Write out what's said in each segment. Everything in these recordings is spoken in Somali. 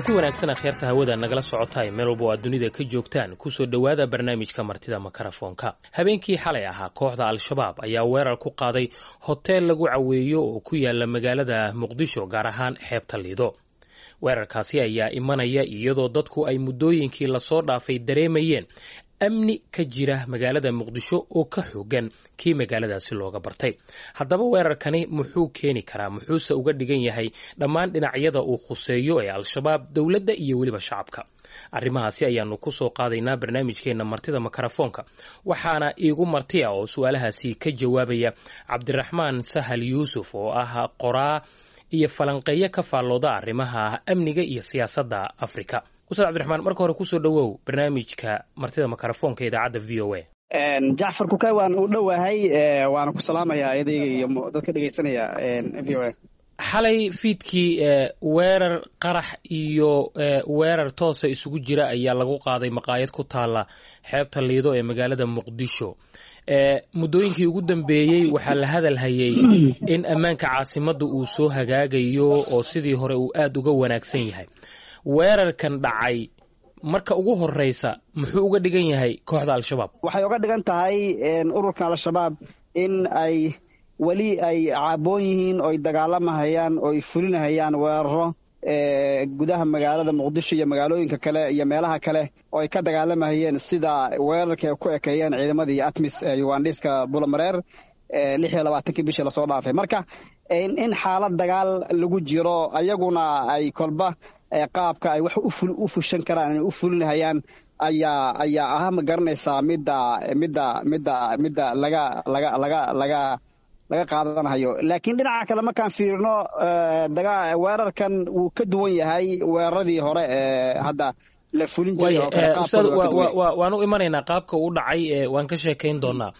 Kulanti wanaagsan, akhyaarta hawada nagala socotaay meel walba oo aad dunida ka joogtaan, kusoo dhowaada barnaamijka Martida Makarafoonka. Habeenkii xalay ahaa, kooxda Al-Shabaab ayaa weerar ku qaaday hoteel lagu caweeyo oo ku yaala magaalada Muqdisho, gaar ahaan xeebta Liido. Weerarkaasi ayaa imanaya iyadoo dadku ay muddooyinkii lasoo dhaafay dareemayeen amni ka jira magaalada Muqdisho oo ka xoogan kii magaaladaasi looga bartay. Haddaba weerarkani muxuu keeni karaa, muxuuse uga dhigan yahay dhammaan dhinacyada uu khuseeyo ee Al-Shabaab, dowladda iyo weliba shacabka? Arrimahaasi ayaanu kusoo qaadaynaa barnaamijkeena Martida Makarafoonka. Waxaana iigu martiya oo su-aalahaasi ka jawaabaya Cabdiraxmaan Sahal Yuusuf, oo ah qoraa iyo falanqeeyo ka faallooda arrimaha amniga iyo siyaasadda Afrika. Ustaad Cabdiraxmaan, marka hore kusoo dhowow barnaamijka Martida Makarafoonka idaacadda VOA. Jacfar Kukay, waan u dhowahay, waana ku salaamayaa idayga iyo dadka dhegeysanaya VOA. Xalay fiidkii weerar qarax iyo weerar toosa isugu jira ayaa lagu qaaday maqaayad ku taala xeebta Liido ee magaalada Muqdisho. Muddooyinkii ugu dambeeyey waxaa la hadal hayay in ammaanka caasimadda uu soo hagaagayo oo sidii hore uu aada uga wanaagsan yahay. Weerarkan dhacay, marka ugu horeysa, muxuu uga dhigan yahay kooxda Al-Shabaab? Waxay uga dhigan tahay ururka Al-Shabaab in ay weli ay caaboon yihiin, oy dagaalamahayaan, oy fulinahayaan weeraro gudaha magaalada Muqdisho iyo magaalooyinka kale iyo meelaha kale oo ay ka dagaalamahayeen, sida weerarka ay ku ekeeyeen ciidamadii ATMIS ee Ugandhiska Bulamareer 26-kii bishii lasoo dhaafay. Marka in xaalad dagaal lagu jiro, ayaguna ay kolba qaabka ay wax u fushan karaan inay u fulinahayaan ayaa ah, ma garanaysaa, midda laga qaadanayo. Laakiin dhinaca kale markaan fiirino, weerarkan wuu ka duwan yahay weeraradii hore ee hadda la fulin jiray. Ustaad, waan u imanaynaa qaabka uu dhacay, waan ka sheekayn doonaa.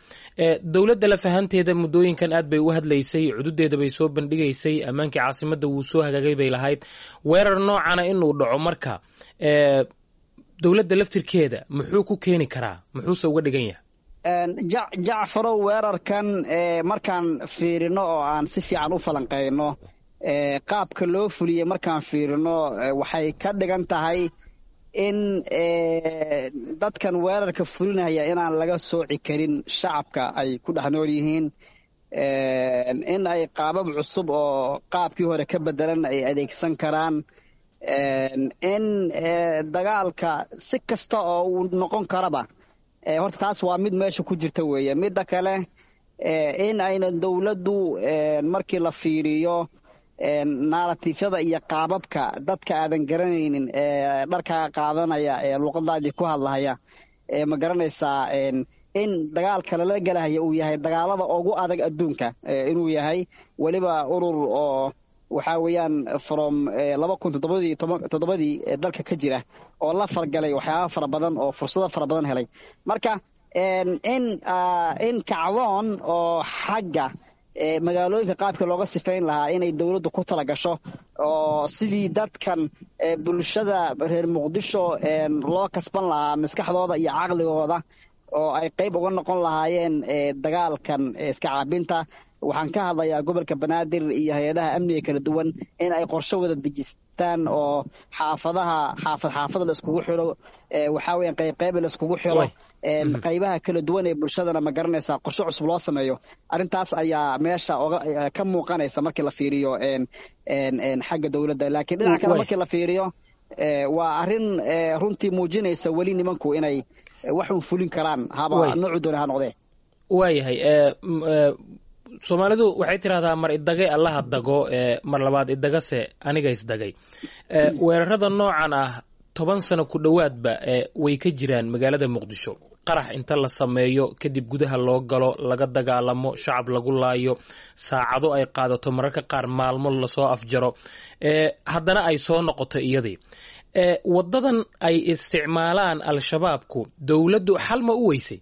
Dowladda lafahanteeda muddooyinkan aad bay u hadlaysay, cududeeda bay soo bandhigaysay, ammaankii caasimadda wuu soo hagaagay bay lahayd. Weerar noocana inuu dhaco marka, dowladda laftirkeeda muxuu ku keeni karaa, muxuuse uga dhigan yahay? Jacfarow, weerarkan markaan fiirino oo aan si fiican u falanqeyno qaabka loo fuliyey, markaan fiirino, waxay ka dhigan tahay in dadkan weerarka fulinaya inaan laga sooci karin shacabka ay ku dhex nool yihiin, in ay qaabab cusub oo qaabkii hore ka bedelan ay adeegsan karaan, in dagaalka si kasta oo uu noqon karaba. Horta taas waa mid meesha ku jirta weeye. Midda kale, in ayna dowladdu, markii la fiiriyo narrative-yada iyo qaababka dadka aadan garanaynin ee dharkaa qaadanaya ee luqadaadii ku hadlahaya, ma garanaysaa, in dagaalka lala gelahaya uu yahay dagaalada ugu adag adduunka, inuu yahay weliba urur oo waxaa weeyaan from 2007-dii dalka ka jira oo la fargalay waxyaaba fara badan oo fursado fara badan helay. Marka in kacdoon oo xagga magaalooyinka qaabka looga sifayn lahaa inay dowladdu ku tala gasho, oo sidii dadkan bulshada reer Muqdisho loo kasban lahaa maskaxdooda iyo caqligooda oo ay qayb uga noqon lahaayeen dagaalkan iska caabinta. Waxaan ka hadlayaa gobolka Banaadir iyo hay-adaha amniga kala duwan in ay qorshe wada dejistaan oo xaafadaha xaafad xaafad la iskugu xiro, waxaa weeyaan qayb qayb la iskugu xiro, qaybaha kala duwan ee bulshadana, ma garanaysaa, qorshe cusub loo sameeyo. Arrintaas ayaa meesha oga ka muuqanaysa markii la fiiriyo xagga dowladda. Laakiin dhinaca kale markii la fiiriyo, waa arrin runtii muujinaysa weli nimanku inay waxun fulin karaan, haba noocu doona ha noqdee. Waayahay. Soomaalidu waxay tidhahdaa, "Mar idagay Allaha dago, mar labaad idagase aniga isdagay." Weerarada noocan ah 10 sano ku dhowaadba way ka jiraan magaalada Muqdisho. Qarax inta la sameeyo kadib gudaha loo galo, laga dagaalamo, shacab lagu laayo, saacado ay qaadato, mararka qaar maalmo lasoo afjaro, haddana ay soo noqoto iyadii. Wadadan ay isticmaalaan Al-Shabaabku, dowladdu xal ma u weysay?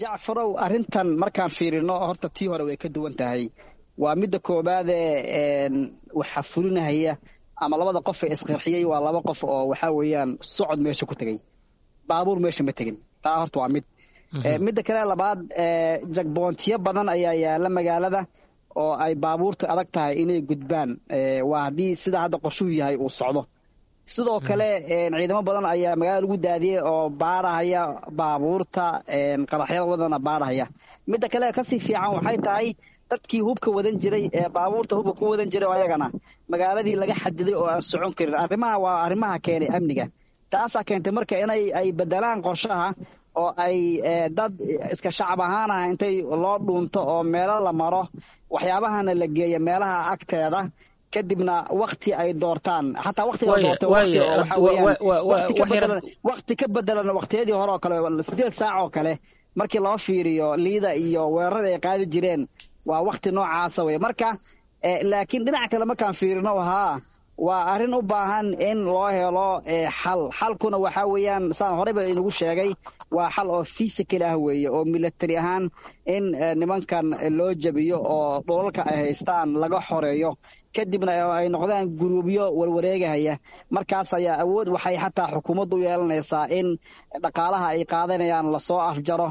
Jacfarow, arrintan markaan fiirino, horta tii hore way ka duwan tahay. Waa midda koobaadee, waxaa fulinahaya ama labada qof ee isqarxiyey waa laba qof oo waxaa weeyaan socod meesha ku tegey, baabuur meesha ma tegin. Taa horta waa mid. Midda kale labaad, checkpoint-yo badan ayaa yaala magaalada oo ay baabuurta adag tahay inay gudbaan. Waa haddii sida hadda qorshuhu yahay uu socdo. Sidoo kale ciidamo badan ayaa magaalada lagu daadiyey oo baadhahaya baabuurta qaraxyada wadana baadhahaya. Midda kale kasii fiican waxay tahay dadkii hubka wadan jiray ee baabuurta hubka ku wadan jiray oo ayagana magaaladii laga xadiday oo aan socon karin. Arrimaha waa arrimaha keenay amniga, taasaa keentay marka inay ay bedelaan qorshaha oo ay dad iska shacab ahaan ah intay loo dhuunto oo meelo la maro, waxyaabahana la geeyo meelaha agteeda, kadibna wakti ay doortaan, xataa waktiga la doortay wakti oo waxa weeyaan wakti ka bedelan waktiyadii hore oo kale, 8 saac oo kale markii loo fiiriyo liida iyo weerarada ay qaadi jireen, waa wakti noocaasa wey. Marka laakiin dhinaca kale markaan fiirino, haa, waa arrin u baahan in loo helo xal. Xalkuna waxaa weeyaan, saan horeyba inagu sheegay, waa xal oo physical ah weeye, oo military ahaan in nimankan loo jabiyo oo dhulalka ay haystaan laga xoreeyo, kadibna ay noqdaan guruubyo warwareegahaya. Markaas ayaa awood waxay xataa xukuumaddu u yeelanaysaa in dhaqaalaha ay qaadanayaan lasoo afjaro,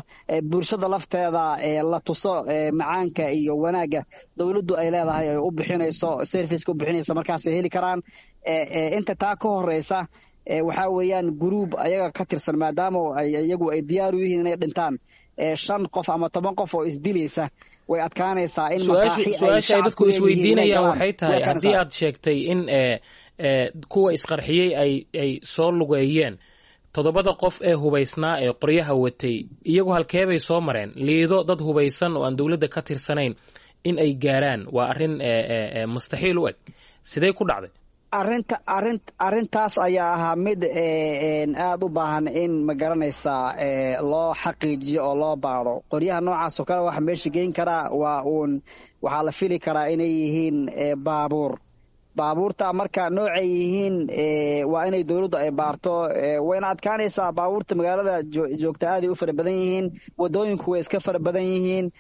bulshada lafteeda la tuso macaanka iyo wanaagga dowladdu ay leedahay ay u bixinayso, serviceka u bixinayso, markaasay heli karaan. Inta taa ka horeysa waxaa weeyaan guruub ayaga ka tirsan, maadaama ay iyagu ay diyaar u yihiin inay dhintaan, 5 qof ama 10 qof oo isdilaysa way adkaanaysaa in Su-aasha ay dadku isweydiinayaan waxay tahay, haddii aad sheegtay in kuwa isqarxiyey ay soo lugeeyeen, 7da qof ee hubaysnaa ee qoryaha watay iyagu halkeebay soo mareen? Liido dad hubaysan oo aan dowladda ka tirsanayn in ay gaaraan waa arrin mustaxiil u eg. Sidee ku dhacday? Arrinta arrin arrintaas ayaa ahaa mid aada u baahan in, ma garanaysaa, loo xaqiijiyo oo loo baaro. Qoryaha noocaas oo kale waxa meesha geyn karaa waa uun, waxaa la fili karaa inay yihiin baabuur. Baabuurta marka noocay yihiin waa inay dowladdu ay baarto, wayna adkaanaysaa. Baabuurta magaalada joogta aaday u fara badan yihiin, wadooyinku way iska fara badan yihiin.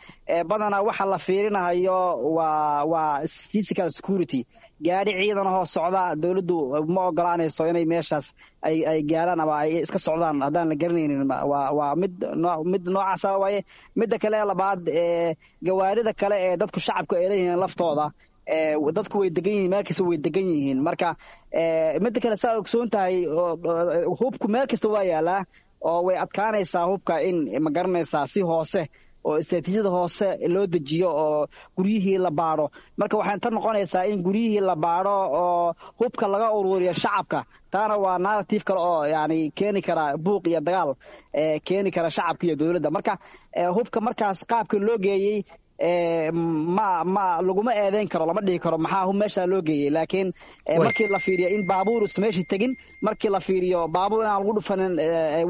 Badanaa waxa la fiirinahayo waa physical security. Gaadhi ciidan ahoo socda dowladdu ma ogolaanayso inay meeshaas ay gaaraan ama ay iska socdaan haddaan la garanaynin. Waa mid noocaasa waaye. Midda kale labaad, gawaarida kale ee dadku shacabku ay leeyihiin laftooda, dadku way degan yihiin, meel kasta way degan yihiin. Marka midda kale, saa ogsoon tahay, hubku meel kasta waa yaalaa oo way adkaanaysaa hubka in, ma garanaysaa, si hoose oo istraatiijiyada hoose loo dejiyo oo guryihii la baadho. Marka waxay tan noqonaysaa in guryihii la baadho oo hubka laga ururiyo shacabka. Taana waa narrative kale oo yani keeni kara buuq iyo dagaal keeni kara shacabka iyo dowladda. Marka hubka markaas qaabka loo geeyey ma laguma eedeyn karo, lama dhihi karo maxaa hub meeshaa loo geeyey, laakiin markii la fiiriyo in baabuur usan meeshii tegin, markii la fiiriyo baabuur inaan lagu dhufanin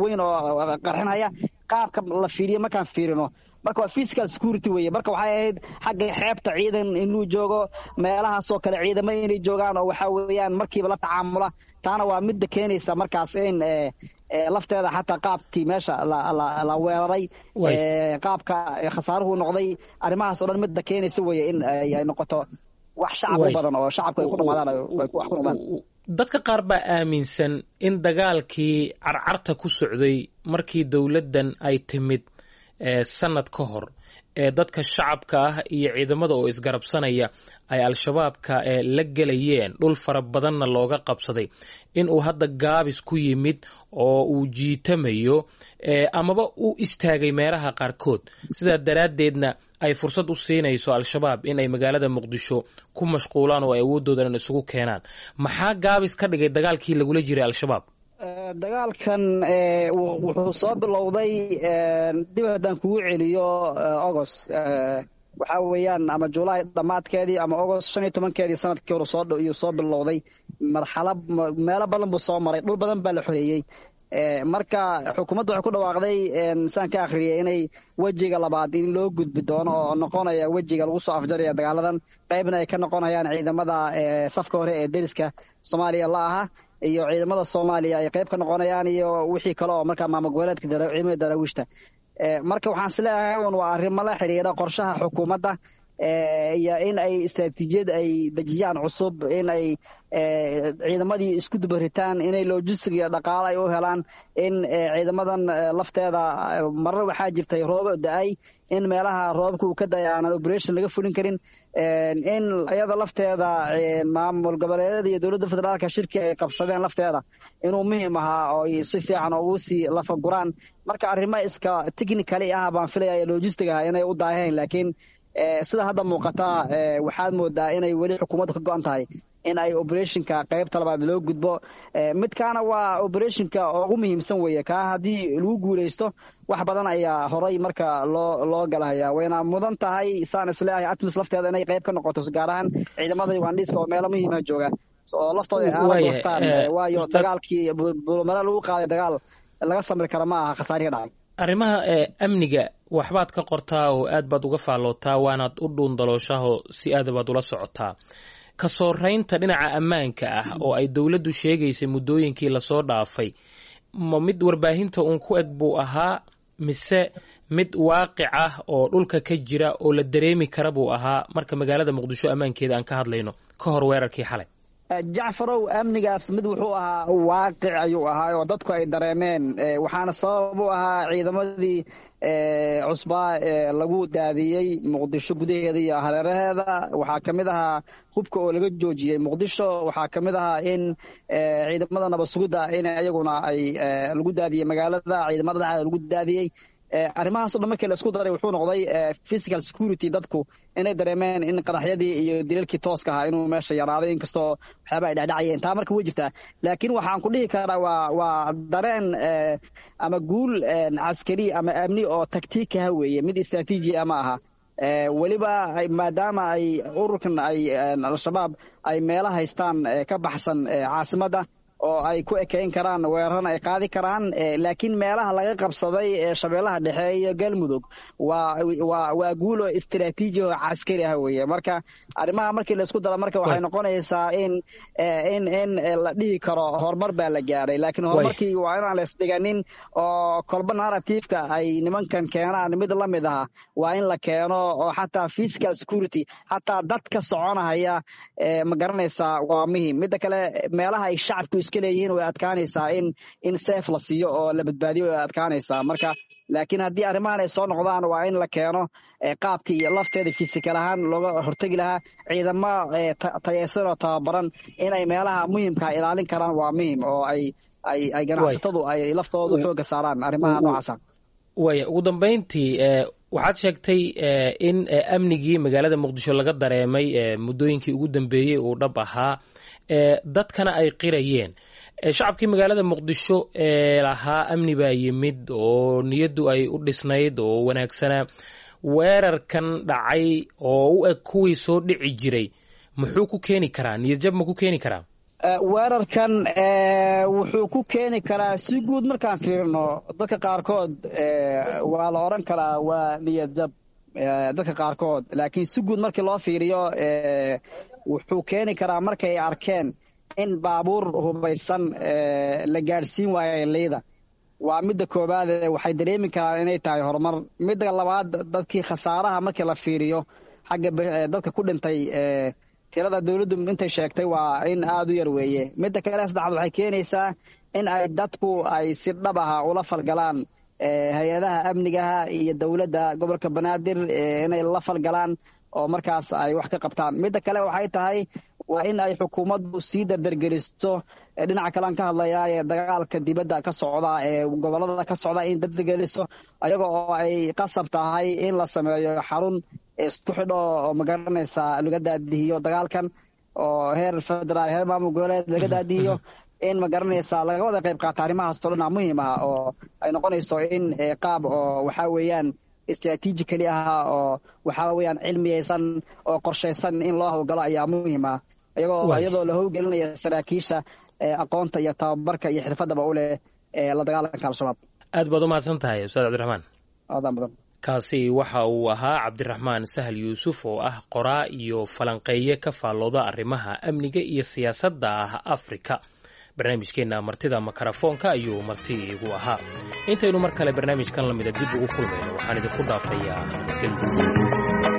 weyn oo qarxinhaya, qaabka la fiiriyo markaan fiirino, marka waa physical security weeye. Marka waxay ahayd xagga xeebta ciidan inuu joogo, meelahaasoo kale ciidamo inay joogaan oo waxaa weeyaan markiiba la tacaamula. Taana waa midda keenaysa markaas in lafteeda xataa qaabkii meesha la weeraray, qaabka khasaaruhu noqday, arrimahaas oo dhan midda keenaysa weeye in ay noqoto wax shacab u badan oo shacabku ay ku dhamaadaan, ay wax ku noqdaan. Dadka qaar baa aaminsan in dagaalkii carcarta ku socday markii dowladdan ay timid sanad ka hor ee dadka shacabka ah iyo ciidamada oo isgarabsanaya ay Al-Shabaabka la gelayeen, dhul fara badanna looga qabsaday, in uu hadda gaabis ku yimid oo uu jiitamayo amaba u istaagay meelaha qaarkood, sidaa daraaddeedna ay fursad u siinayso Al-Shabaab in ay magaalada Muqdisho ku mashquulaan oo ay awooddoodan isugu keenaan. Maxaa gaabis ka dhigay dagaalkii lagula jiray Al-Shabaab? Dagaalkan wuxuu soo bilowday, dib haddaan kugu celiyo, August waxaa weeyaan ama Julaay dhammaadkeedii ama August 15-keedii sanadkii hore soo iyuu soo bilowday. Marxalo meelo badan buu soo maray, dhul badan baa la xoreeyey. Marka xukuumaddu waxay ku dhawaaqday, saan ka akhriyay, inay wejiga labaad in loo gudbi doono oo noqonaya wejiga lagu soo afjaraya dagaaladan, qaybna ay ka noqonayaan ciidamada safka hore ee deriska Soomaaliya la aha iyo ciidamada Soomaaliya ay qayb ka noqonayaan iyo wixii kale oo markaa maamul goboleedka, ciidamada Daraawiishta. Marka waxaan is leeyahay un waa arrimo la xiriira qorshaha xukuumadda. Iyo in ay istraatiijiyad ay dejiyaan cusub, in ay ciidamadii isku dubaritaan, inay logistic iyo dhaqaalo ay u helaan, in ciidamadan lafteeda marar waxaa jirtay roobo da-ay, in meelaha roobabka uu ka daya aanan operation laga fulin karin, in iyada lafteeda maamul goboleedyada iyo dowladda federaalka shirki ay qabsadeen lafteeda inuu muhiim ahaa oo ay si fiican ugu sii lafaguraan. Marka arrimo iska technically ah baan filaya, logistic ah, inay u daaheen, laakiin sida hadda muuqata waxaad moodaa inay weli xukuumaddu ka go-an tahay in ay operationka qaybta labaad loo gudbo. Midkaana waa operationka ugu muhiimsan weeye. Kaa haddii lagu guuleysto, wax badan ayaa horay marka loo galahaya. Wayna mudan tahay, saan isleeyahay, ATMIS lafteeda inay qayb ka noqoto, gaar ahaan ciidamada Ugandhiiska oo meelo muhiima jooga oo laftooda ay aala goostaan, waayo dagaalkii Buulamareer lagu qaaday dagaal laga samri kara ma aha khasaarihi dhacay. Arrimaha amniga waxbaad ka qortaa oo aad baad uga faallootaa, waanaad u dhuundalooshaho si aad baad ula socotaa. Ka sooreynta dhinaca ammaanka ah oo ay dowladdu sheegaysay muddooyinkii lasoo dhaafay, ma mid warbaahinta uun ku eg buu ahaa, mise mid waaqic ah oo dhulka ka jira oo la dareemi kara buu ahaa, marka magaalada Muqdisho ammaankeeda aan ka hadlayno, ka hor weerarkii xalay? Jacfarow, amnigaas mid wuxuu ahaa waaqic ayuu ahaa oo dadku ay dareemeen, waxaana sabab u ahaa ciidamadii cusbaa ee lagu daadiyey Muqdisho gudaheeda iyo hareeraheeda. Waxaa ka mid ahaa hubka oo laga joojiyey Muqdisho. Waxaa ka mid ahaa in ciidamada nabad sugidda in iyaguna ay lagu daadiyey magaalada, ciidamada dhexdeeda lagu daadiyey. Arrimahaas o dhan markii la isku daray, wuxuu noqday physical security, dadku inay dareemeen in qaraxyadii iyo dilalkii tooska ahaa inuu meesha yaraaday, inkastoo waxyaaba ay dhecdhacayeen. Taa marka way jirtaa, laakiin waxaan ku dhihi karaa waa dareen ama guul caskari ama amni oo taktiikaha weeye, mid istraatiiji ah ma aha. Weliba maadaama ay ururkan ay Al-Shabaab ay meelo haystaan ka baxsan caasimadda oo ay ku ekeyn karaan, weerarana ay qaadi karaan, laakiin meelaha laga qabsaday ee Shabeellaha Dhexe iyo Galmudug waa guulo istraatiiji oo caskari ah weeye. Marka arrimaha markii la isku daro, marka waxay noqonaysaa in la dhihi karo horumar baa la gaadhay, laakiin horumarkii waa inaan la isdhiganin oo kolba narrativeka ay nimankan keenaan mid la mid aha waa in la keeno, oo xataa physical security, xataa dadka soconahaya, ma garanaysaa, waa muhiim. Midda kale, meelaha ay shacabku iska leeyihiin way adkaanaysaa in safe la siiyo oo la badbaadiyo, way adkaanaysaa. Marka laakiin haddii arrimahan ay soo noqdaan, waa in la keeno qaabkii lafteeda physical ahaan looga hortegi lahaa. Ciidamo tayeysan oo tababaran inay meelaha muhiimkaa ilaalin karaan waa muhiim, oo ay ganacsatadu ay laftoodu xoogga saaraan arrimaha noocaasa. Waaya, ugu dambeyntii, waxaad sheegtay in amnigii magaalada Muqdisho laga dareemay muddooyinkii ugu dambeeyey uu dhab ahaa, dadkana ay qirayeen. Shacabkii magaalada Muqdisho ee lahaa amni baa yimid oo niyaddu ay u dhisnayd oo wanaagsanaa, weerarkan dhacay oo u eg kuwii soo dhici jiray muxuu ku keeni karaa? Niyadjab ma ku keeni karaa? Weerarkan wuxuu ku keeni karaa, si guud markaan fiirino, dadka qaarkood waa la odhan karaa waa niyad jab dadka qaarkood, laakiin si guud markii loo fiiriyo, wuxuu keeni karaa markay arkeen in baabuur hubaysan la gaadhsiin waayo liida, waa midda koowaad, waxay dareemi karaan inay tahay horumar. Midda labaad, dadkii khasaaraha markii la fiiriyo, xagga dadka ku dhintay, tirada dowladdu intay sheegtay waa in aada u yar weeye. Midda kale saddexaad, waxay keenaysaa in ay dadku ay si dhab aha ula falgalaan hay-adaha amnigaha iyo dowladda gobolka Banaadir, inay la falgalaan oo markaas ay wax ka qabtaan. Midda kale waxay tahay waa in ay xukuumaddu sii dardargeliso dhinaca kalean ka hadlayaa ee dagaalka dibadda ka socda ee gobollada ka socda, in dardargeliso ayaga oo ay qasab tahay in la sameeyo xarun isku xidho oo, ma garanaysaa, laga daadihiyo dagaalkan oo heer federaal, heer maamul goboleed laga daadihiyo, in, ma garanaysaa, laga wada qayb qaata arrimahaas oo dhan aa muhiim ah, oo ay noqonayso in qaab oo waxaa weeyaan istraatiijikali ah oo waxaa weeyaan cilmiyeysan oo qorshaysan in loo howlgalo ayaa muhiim ah, iyadoo la howlgelinaya saraakiisha aqoonta iyo tababarka iyo xirfadaba u leh la dagaalanka Al-Shabaab. Aad baad u mahadsan tahay, Ustaad Cabdiraxmaan. Aadaan badan. Kaasi waxa uu ahaa Cabdiraxmaan Sahal Yuusuf oo ah qoraa iyo falanqeeye ka faallooda arrimaha amniga iyo siyaasadda ah Afrika. Barnaamijkeenna martida makarafoonka ayuu marti igu ahaa. Intaynu mar kale barnaamijkan lamida dib ugu kulmayno, waxaan idinku dhaafayaa nabadgelyo.